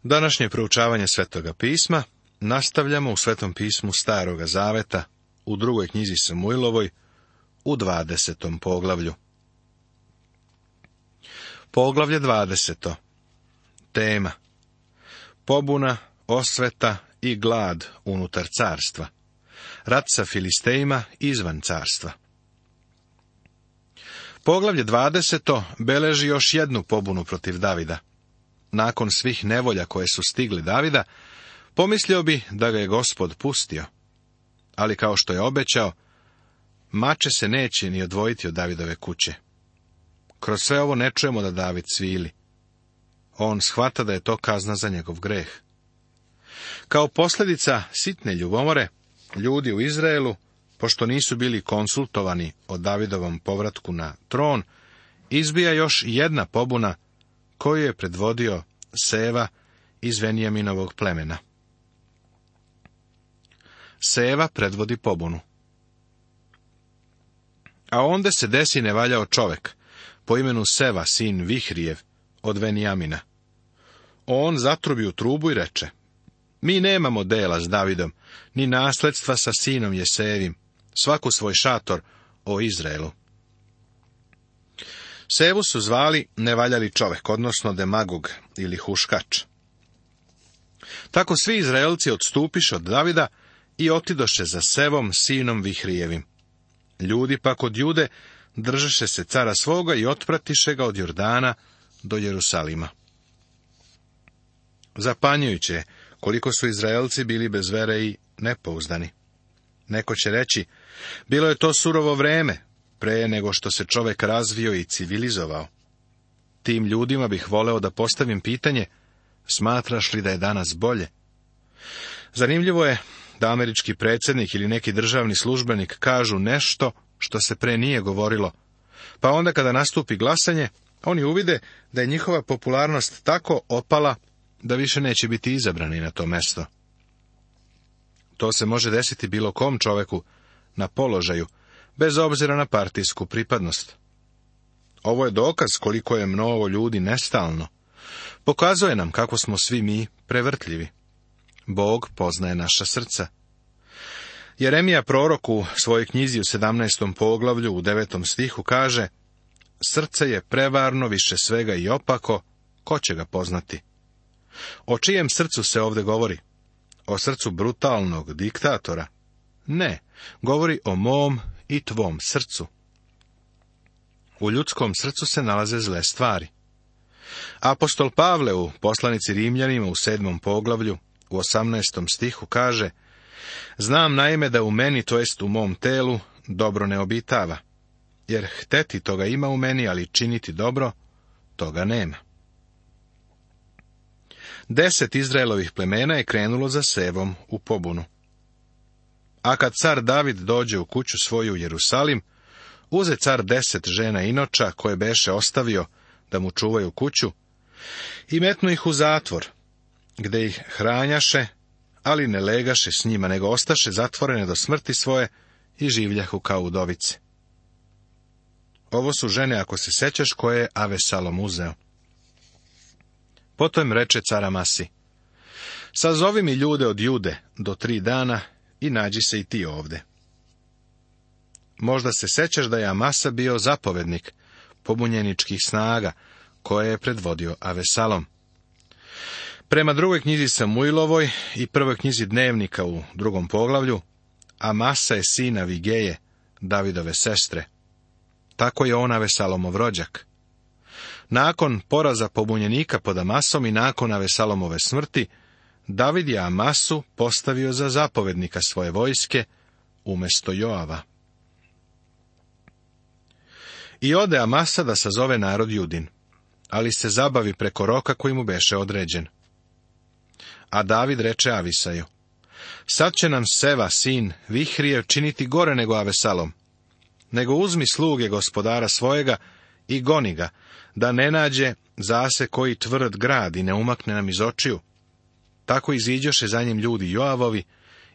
Današnje proučavanje Svetoga pisma nastavljamo u Svetom pismu Staroga zaveta, u drugoj knjizi Samuilovoj, u 20. poglavlju. Poglavlje 20. Tema: pobuna, osveta i glad unutar carstva. Rat sa Filistejima izvan carstva. Poglavlje 20. beleži još jednu pobunu protiv Davida. Nakon svih nevolja koje su stigli Davida, pomislio bi da ga je Gospod pustio. Ali kao što je obećao, mače se neće ni odvojiti od Davidove kuće. Kroz sve ovo ne čujemo da David cvili. On shvata da je to kazna za njegov greh. Kao posljedica sitne ljubomore, ljudi u Izraelu, pošto nisu bili konsultovani o Davidovom povratku na tron, izbija još jedna pobuna koju je predvodio Seva iz Venjaminovog plemena. Seva predvodi pobunu. A onda se desi nevaljao čovek, po imenu Seva, sin Vihrijev, od Venjamina. On zatrubi u trubu i reče: mi nemamo dela s Davidom, ni nasledstva sa sinom Jesevim, svaku svoj šator, o Izraelu. Sevu su zvali nevaljali čovek, odnosno demagog ili huškač. Tako svi Izraelci odstupiše od Davida i otidoše za Sevom, sinom Vihrijevim. Ljudi pak od Jude držeše se cara svoga i otpratiše ga od Jordana do Jerusalima. Zapanjujuće je koliko su Izraelci bili bez vere i nepouzdani. Neko će reći, bilo je to surovo vreme, pre nego što se čovek razvio i civilizovao. Tim ljudima bih voleo da postavim pitanje, smatraš li da je danas bolje? Zanimljivo je da američki predsjednik ili neki državni službenik kažu nešto što se pre nije govorilo, pa onda kada nastupi glasanje, oni uvide da je njihova popularnost tako opala da više neće biti izabrani na to mesto. To se može desiti bilo kom čoveku na položaju, bez obzira na partijsku pripadnost. Ovo je dokaz koliko je mnogo ljudi nestalno. Pokazuje nam kako smo svi mi prevrtljivi. Bog poznaje naša srca. Jeremija prorok u svojoj knjizi u 17. poglavlju u 9. stihu kaže: srce je prevarno više svega i opako, ko će ga poznati? O čijem srcu se ovdje govori? O srcu brutalnog diktatora? Ne, govori o mom i tvom srcu. U ljudskom srcu se nalaze zle stvari. Apostol Pavle u poslanici Rimljanima u 7. poglavlju u 18. stihu kaže: znam naime da u meni, to jest u mom telu, dobro ne obitava, jer hteti toga ima u meni, ali činiti dobro, toga nema. 10 Izraelovih plemena je krenulo za Sevom u pobunu. A kad car David dođe u kuću svoju u Jerusalim, uze car 10 žena inoča koje beše ostavio da mu čuvaju kuću i metnu ih u zatvor, gde ih hranjaše, ali ne legaše s njima, nego ostaše zatvorene do smrti svoje i življahu kao udovice. Ovo su žene, ako se sećaš, koje je Avesalom uzeo. Potom reče car Amasi: sazovi mi ljude od Jude do 3 dana i nađi se i ti ovde. Možda se sećaš da je Amasa bio zapovednik pobunjeničkih snaga koje je predvodio Avesalom. Prema drugoj knjizi Samuilovoj i prvoj knjizi Dnevnika u 2. poglavlju, Amasa je sin Avigeje, Davidove sestre. Tako je on Avesalomov rođak. Nakon poraza pobunjenika pod Amasom i nakon Avesalomove smrti, David je Amasu postavio za zapovednika svoje vojske umjesto Joava. I ode Amasa da sazove narod Judin, ali se zabavi preko roka koji mu beše određen. A David reče Avisaju: sad će nam Seva, sin Vihrijev, činiti gore nego Avesalom. Nego uzmi sluge gospodara svojega i goni ga, da ne nađe zase koji tvrd grad i ne umakne nam iz očiju. Tako iziđoše za njim ljudi Joavovi,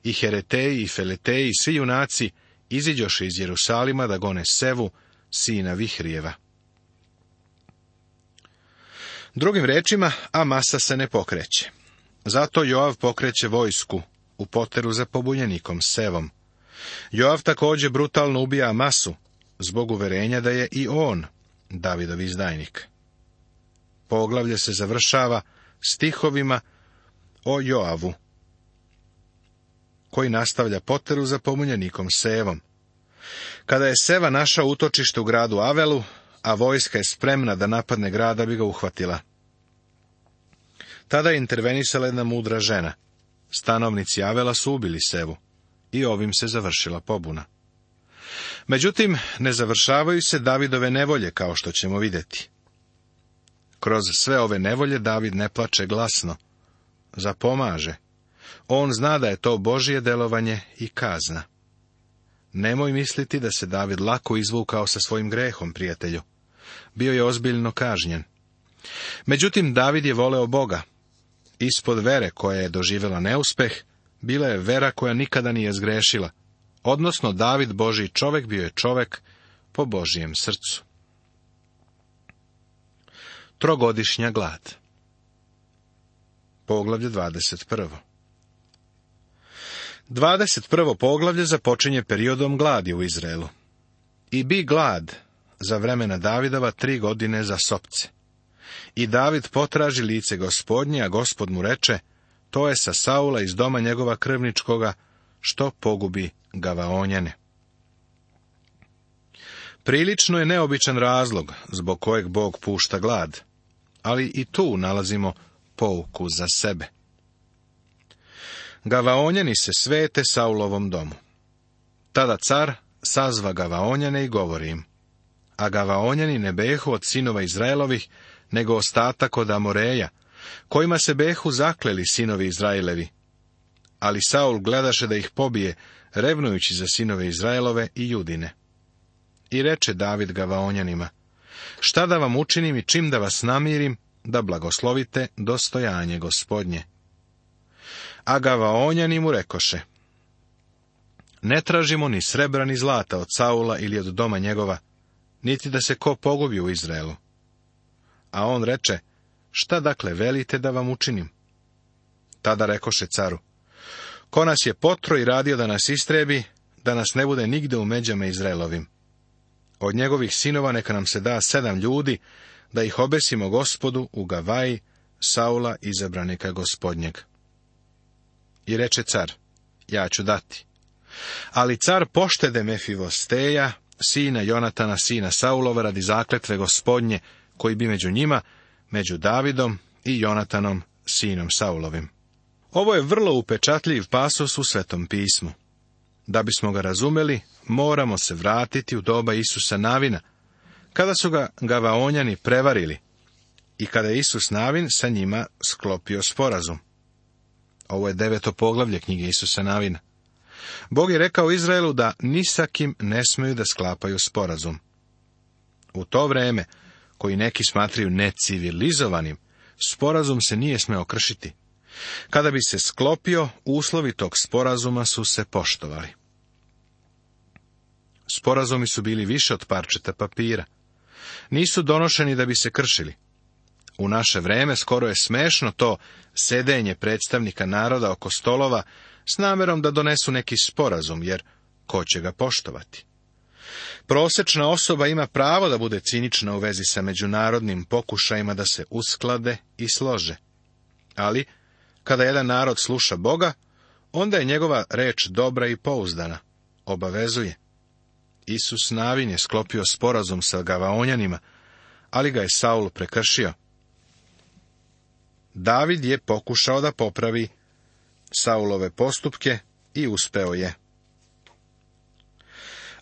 i Hereteji, i Feleteji, i svi junaci, iziđoše iz Jerusalima da gone Sevu, sina Vihrijeva. Drugim rečima, Amasa se ne pokreće. Zato Joav pokreće vojsku u poteru za pobunjenikom Sevom. Joav također brutalno ubija Amasu, zbog uverenja da je i on Davidov izdajnik. Poglavlje se završava stihovima o Joavu, koji nastavlja poteru za pobunjenikom Sevom. Kada je Seva našao utočište u gradu Avelu, a vojska je spremna da napadne grad da bi ga uhvatila. Tada je intervenisala jedna mudra žena. Stanovnici Avela su ubili Sevu i ovim se završila pobuna. Međutim, ne završavaju se Davidove nevolje, kao što ćemo vidjeti. Kroz sve ove nevolje David ne plače glasno, zapomaže. On zna da je to Božje delovanje i kazna. Nemoj misliti da se David lako izvukao sa svojim grehom, prijatelju. Bio je ozbiljno kažnjen. Međutim, David je voleo Boga. Ispod vere koja je doživjela neuspeh, bila je vera koja nikada nije zgrešila. Odnosno, David, Božji čovjek, bio je čovjek po Božjem srcu. Trogodišnja glad. Poglavlje 21. 21. poglavlje započinje periodom gladi u Izraelu. I bi glad za vremena Davidova 3 godine za sopce. I David potraži lice Gospodnje, a Gospod mu reče, to je sa Saula iz doma njegova krvničkoga, što pogubi Gavaonjane. Prilično je neobičan razlog zbog kojeg Bog pušta glad, ali i tu nalazimo pouku za sebe. Gavaonjani se svete Saulovom domu. Tada car sazva Gavaonjane i govori im, a Gavaonjani ne behu od sinova Izraelovih, nego ostatak od Amoreja, kojima se behu zakleli sinovi Izraelevi. Ali Saul gledaše da ih pobije, revnujući za sinove Izraelove i Judine. I reče David Gavaonjanima, šta da vam učinim i čim da vas namirim, da blagoslovite dostojanje Gospodnje. A Gavaonjani mu rekoše, ne tražimo ni srebra ni zlata od Saula ili od doma njegova, niti da se ko pogubi u Izraelu. A on reče, šta dakle velite da vam učinim? Tada rekoše caru, ko nas je potro i radio da nas istrebi, da nas ne bude nigde u međama Izraelovim. Od njegovih sinova neka nam se da 7 ljudi, da ih obesimo Gospodu u Gavaji, Saula izabranika Gospodnjeg. I reče car, ja ću dati. Ali car poštede Mefivosteja, sina Jonatana, sina Saulova, radi zakletve Gospodnje, koji bi među njima, među Davidom i Jonatanom, sinom Saulovim. Ovo je vrlo upečatljiv pasos u Svetom pismu. Da bismo ga razumeli, moramo se vratiti u doba Isusa Navina, kada su ga Gavaonjani prevarili i kada je Isus Navin sa njima sklopio sporazum. Ovo je 9. poglavlje knjige Isusa Navina. Bog je rekao Izraelu da ni sa kim ne smeju da sklapaju sporazum. U to vreme, koji neki smatraju necivilizovanim, sporazum se nije smeo kršiti. Kada bi se sklopio, uslovi tog sporazuma su se poštovali. Sporazumi su bili više od parčeta papira. Nisu donošeni da bi se kršili. U naše vreme skoro je smešno to sedenje predstavnika naroda oko stolova s namjerom da donesu neki sporazum, jer ko će ga poštovati? Prosečna osoba ima pravo da bude cinična u vezi sa međunarodnim pokušajima da se usklade i slože. Ali, kada jedan narod sluša Boga, onda je njegova reč dobra i pouzdana, obavezuje. Isus Navin je sklopio sporazum sa Gavaonjanima, ali ga je Saul prekršio. David je pokušao da popravi Saulove postupke i uspeo je.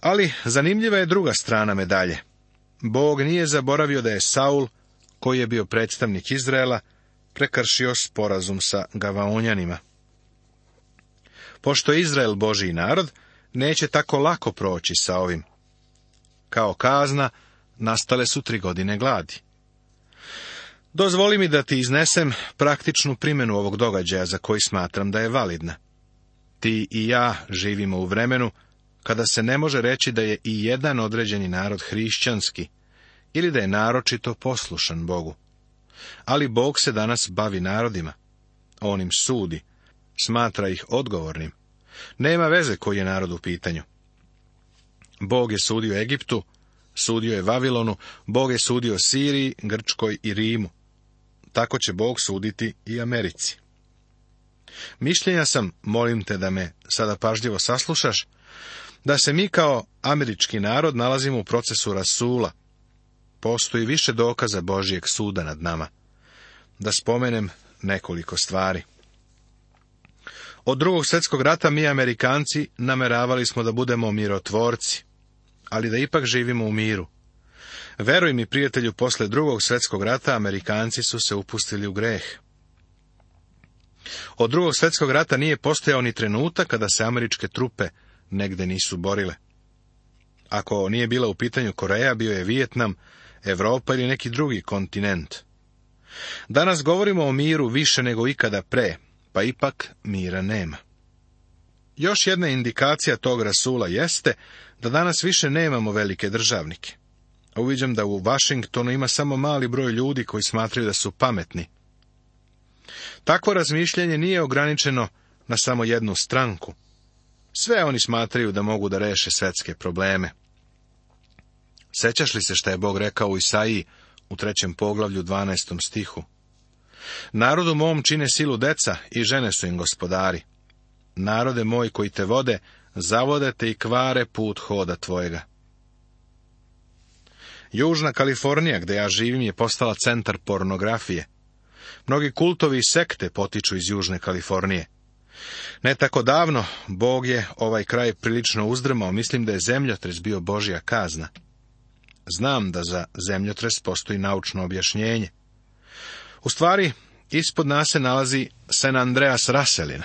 Ali zanimljiva je druga strana medalje. Bog nije zaboravio da je Saul, koji je bio predstavnik Izraela, prekršio sporazum sa Gavaonjanima. Pošto je Izrael Božji narod, neće tako lako proći sa ovim. Kao kazna, nastale su 3 godine gladi. Dozvoli mi da ti iznesem praktičnu primjenu ovog događaja za koji smatram da je validna. Ti i ja živimo u vremenu kada se ne može reći da je i jedan određeni narod hrišćanski ili da je naročito poslušan Bogu. Ali Bog se danas bavi narodima. On im sudi, smatra ih odgovornim. Nema veze koji je narod u pitanju. Bog je sudio Egiptu, sudio je Vavilonu, Bog je sudio Siriji, Grčkoj i Rimu. Tako će Bog suditi i Americi. Mišljenja sam, molim te da me sada pažljivo saslušaš, da se mi kao američki narod nalazimo u procesu rasula. Postoji više dokaza Božjeg suda nad nama. Da spomenem nekoliko stvari. Od Drugog svjetskog rata mi, Amerikanci, nameravali smo da budemo mirotvorci, ali da ipak živimo u miru. Veruj mi, prijatelju, posle Drugog svjetskog rata Amerikanci su se upustili u greh. Od Drugog svjetskog rata nije postojao ni trenutak kada se američke trupe negde nisu borile. Ako nije bila u pitanju Koreja, bio je Vijetnam, Evropa ili neki drugi kontinent. Danas govorimo o miru više nego ikada pre, pa ipak mira nema. Još jedna indikacija tog rasula jeste da danas više nemamo velike državnike. Uviđam da u Vašingtonu ima samo mali broj ljudi koji smatraju da su pametni. Takvo razmišljanje nije ograničeno na samo jednu stranku. Sve oni smatraju da mogu da reše svetske probleme. Sećaš li se šta je Bog rekao u Isaiji u 3. poglavlju 12. stihu? Narodu mom čine silu deca i žene su im gospodari. Narode moj koji te vode, zavode te i kvare put hoda tvojega. Južna Kalifornija, gde ja živim, je postala centar pornografije. Mnogi kultovi i sekte potiču iz Južne Kalifornije. Ne tako davno Bog je ovaj kraj prilično uzdrmao, mislim da je zemljotres bio Božja kazna. Znam da za zemljotres postoji naučno objašnjenje. U stvari, ispod nas se nalazi San Andreas Raselina.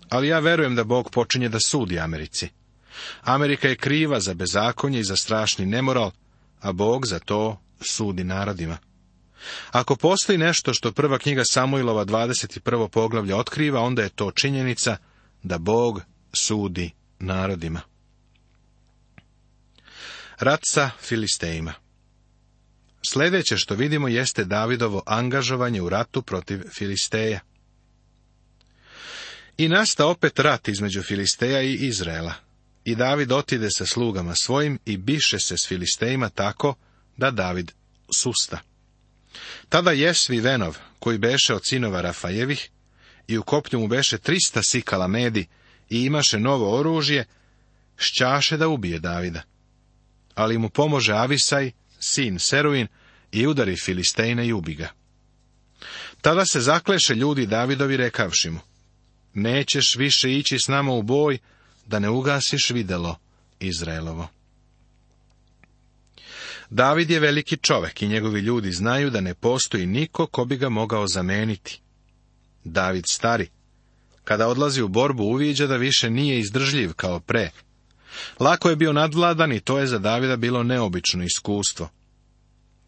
Ali ja verujem da Bog počinje da sudi Americi. Amerika je kriva za bezakonje i za strašni nemoral, a Bog za to sudi narodima. Ako postoji nešto što prva knjiga Samuilova 21. poglavlja otkriva, onda je to činjenica da Bog sudi narodima. Rat sa Filistejima. Sljedeće što vidimo jeste Davidovo angažovanje u ratu protiv Filisteja. I nasta opet rat između Filisteja i Izraela. I David otide sa slugama svojim i biše se s Filistejima tako da David susta. Tada Jesvi Venov, koji beše od sinova Rafajevih, i u kopnju mu beše 300 sikala medi i imaše novo oružje, šćaše da ubije Davida. Ali mu pomože Avisaj, sin Seruin, i udari Filistejna i ubi ga. Tada se zakleše ljudi Davidovi rekavši mu: nećeš više ići s nama u boj, da ne ugasiš videlo Izraelovo. David je veliki čovek i njegovi ljudi znaju da ne postoji niko ko bi ga mogao zameniti. David stari, kada odlazi u borbu, uviđa da više nije izdržljiv kao pre. Lako je bio nadvladan i to je za Davida bilo neobično iskustvo.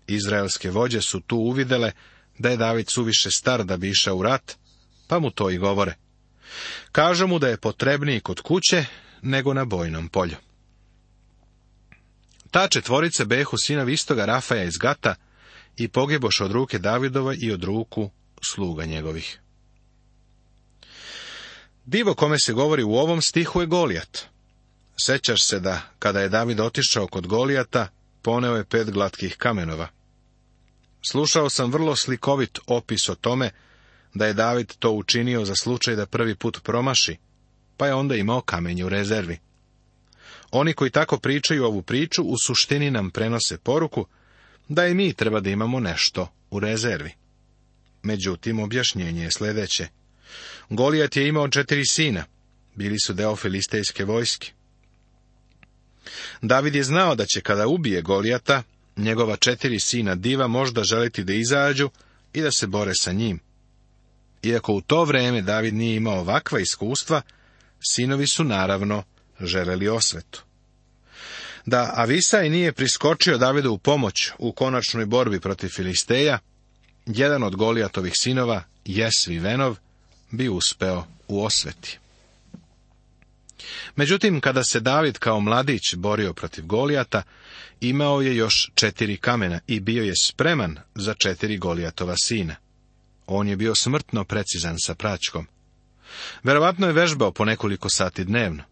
Izraelske vođe su tu uvidele da je David suviše star da bi išao u rat, pa mu to i govore. Kažu mu da je potrebniji kod kuće nego na bojnom polju. Ta četvorice behu sinovi istoga Rafaja iz Gata i pogeboše od ruke Davidova i od ruku sluga njegovih. Divo kome se govori u ovom stihu je Golijat. Sećaš se da, kada je David otišao kod Golijata, poneo je 5 glatkih kamenova. Slušao sam vrlo slikovit opis o tome da je David to učinio za slučaj da prvi put promaši, pa je onda imao kamenje u rezervi. Oni koji tako pričaju ovu priču u suštini nam prenose poruku da i mi treba da imamo nešto u rezervi. Međutim, objašnjenje je sljedeće. Golijat je imao 4 sina, bili su deo filistejske vojske. David je znao da će kada ubije Golijata, njegova 4 sina diva možda želiti da izađu i da se bore sa njim. Iako u to vreme David nije imao ovakva iskustva, sinovi su naravno želeli osvetu. Da Avisaj nije priskočio Davidu u pomoć u konačnoj borbi protiv Filisteja, jedan od Golijatovih sinova, Jesvi Venov, bi uspeo u osveti. Međutim, kada se David kao mladić borio protiv Golijata, imao je još 4 kamena i bio je spreman za 4 Golijatova sina. On je bio smrtno precizan sa praćkom. Verovatno je vežbao po nekoliko sati dnevno.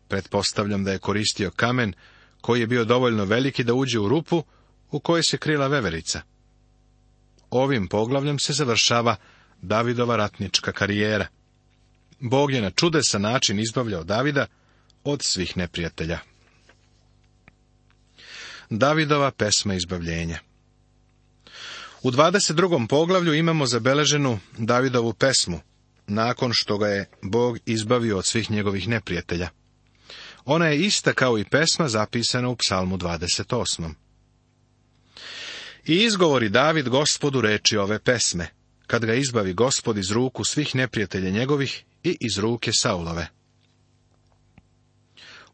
Pretpostavljam da je koristio kamen koji je bio dovoljno veliki da uđe u rupu u kojoj se krila veverica. Ovim poglavljem se završava Davidova ratnička karijera. Bog je na čudesan način izbavljao Davida od svih neprijatelja. Davidova pesma izbavljenja. U 22. poglavlju imamo zabeleženu Davidovu pesmu, nakon što ga je Bog izbavio od svih njegovih neprijatelja. Ona je ista kao i pesma zapisana u Psalmu 28. I izgovori David Gospodu reči ove pesme, kad ga izbavi Gospod iz ruku svih neprijatelja njegovih i iz ruke Saulove.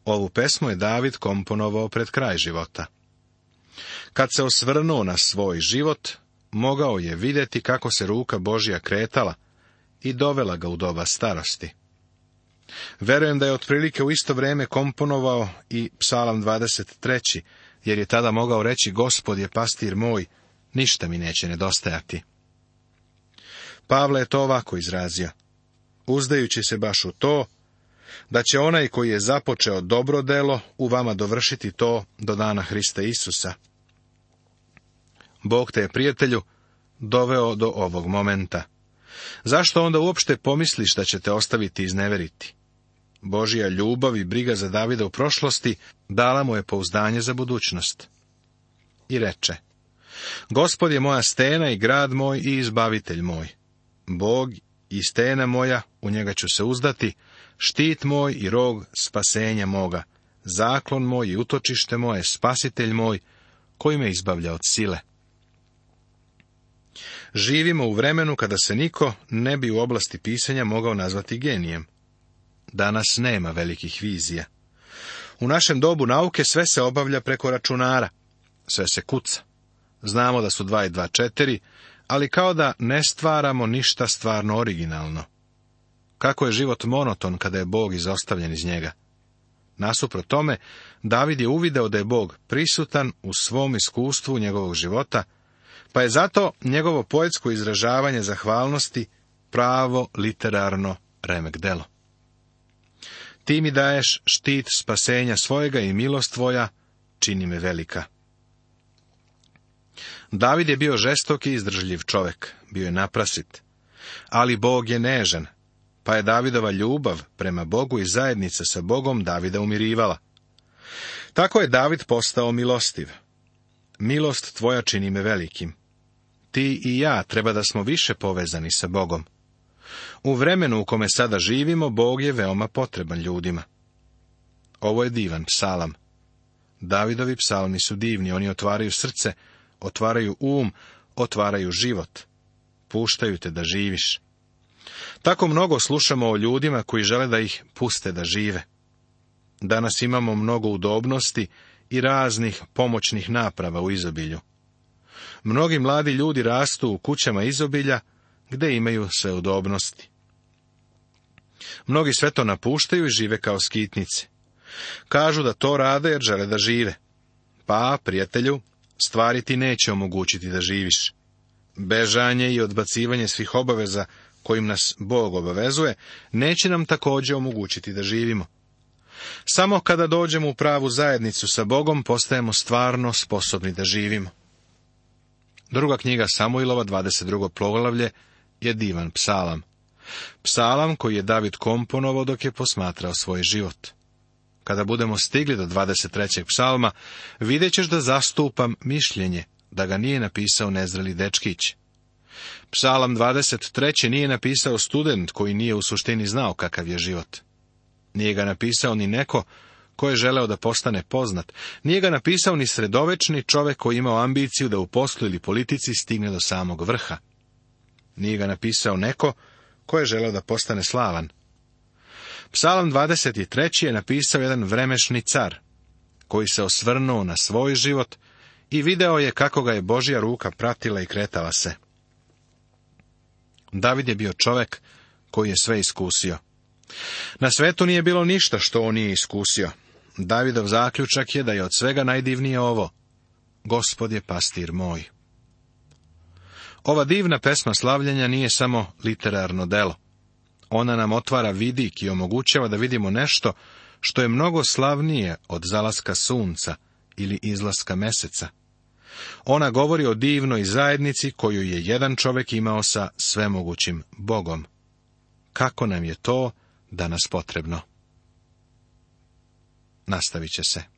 Ovu pesmu je David komponovao pred kraj života. Kad se osvrnuo na svoj život, mogao je vidjeti kako se ruka Božja kretala i dovela ga u doba starosti. Verujem da je otprilike u isto vrijeme komponovao i Psalam 23, jer je tada mogao reći: Gospod je pastir moj, ništa mi neće nedostajati. Pavle je to ovako izrazio: uzdajući se baš u to, da će onaj koji je započeo dobro delo u vama dovršiti to do dana Hrista Isusa. Bog te je, prijatelju, doveo do ovog momenta. Zašto onda uopšte pomisliš da će te ostaviti izneveriti? Božja ljubav i briga za Davida u prošlosti dala mu je pouzdanje za budućnost. I reče: Gospod je moja stena i grad moj i izbavitelj moj. Bog i stena moja, u njega ću se uzdati, štit moj i rog spasenja moga, zaklon moj i utočište moje, spasitelj moj, koji me izbavlja od sile. Živimo u vremenu kada se niko ne bi u oblasti pisanja mogao nazvati genijem. Danas nema velikih vizija. U našem dobu nauke sve se obavlja preko računara. Sve se kuca. Znamo da su 2 i 2 4, ali kao da ne stvaramo ništa stvarno originalno. Kako je život monoton kada je Bog izostavljen iz njega? Nasuprot tome, David je uvideo da je Bog prisutan u svom iskustvu njegovog života, pa je zato njegovo poetsko izražavanje zahvalnosti pravo literarno remek delo. Ti mi daješ štit spasenja svojega i milost tvoja čini me velika. David je bio žestok i izdržljiv čovjek, bio je naprasit, ali Bog je nežan, pa je Davidova ljubav prema Bogu i zajednica sa Bogom Davida umirivala. Tako je David postao milostiv. Milost tvoja čini me velikim. Ti i ja treba da smo više povezani sa Bogom. U vremenu u kome sada živimo, Bog je veoma potreban ljudima. Ovo je divan psalam. Davidovi psalmi su divni, oni otvaraju srce, otvaraju otvaraju život. Puštaju te da živiš. Tako mnogo slušamo o ljudima koji žele da ih puste da žive. Danas imamo mnogo udobnosti i raznih pomoćnih naprava u izobilju. Mnogi mladi ljudi rastu u kućama izobilja, gde imaju sve udobnosti. Mnogi sve to napuštaju i žive kao skitnici. Kažu da to rade jer žele da žive. Pa, prijatelju, stvari ti neće omogućiti da živiš. Bežanje i odbacivanje svih obaveza kojim nas Bog obavezuje, neće nam također omogućiti da živimo. Samo kada dođemo u pravu zajednicu sa Bogom, postajemo stvarno sposobni da živimo. Druga knjiga Samuilova, 22. poglavlje, je divan psalam. Psalam koji je David komponovao dok je posmatrao svoj život. Kada budemo stigli do 23. psalma, vidjet ćeš da zastupam mišljenje da ga nije napisao nezreli dečkić. Psalam 23. nije napisao student koji nije u suštini znao kakav je život. Nije ga napisao ni neko ko je želeo da postane poznat. Nije ga napisao ni sredovečni čovjek koji imao ambiciju da u poslu ili politici stigne do samog vrha. Nije ga napisao neko ko je želeo da postane slavan. Psalam 23. je napisao jedan vremešni car, koji se osvrnuo na svoj život i video je kako ga je Božja ruka pratila i kretala se. David je bio čovjek koji je sve iskusio. Na svetu nije bilo ništa što on nije iskusio. Davidov zaključak je da je od svega najdivnije ovo: Gospod je pastir moj. Ova divna pesma slavljenja nije samo literarno delo. Ona nam otvara vidik i omogućava da vidimo nešto što je mnogo slavnije od zalaska sunca ili izlaska meseca. Ona govori o divnoj zajednici koju je jedan čovjek imao sa svemogućim Bogom. Kako nam je to danas potrebno? Nastavit će se.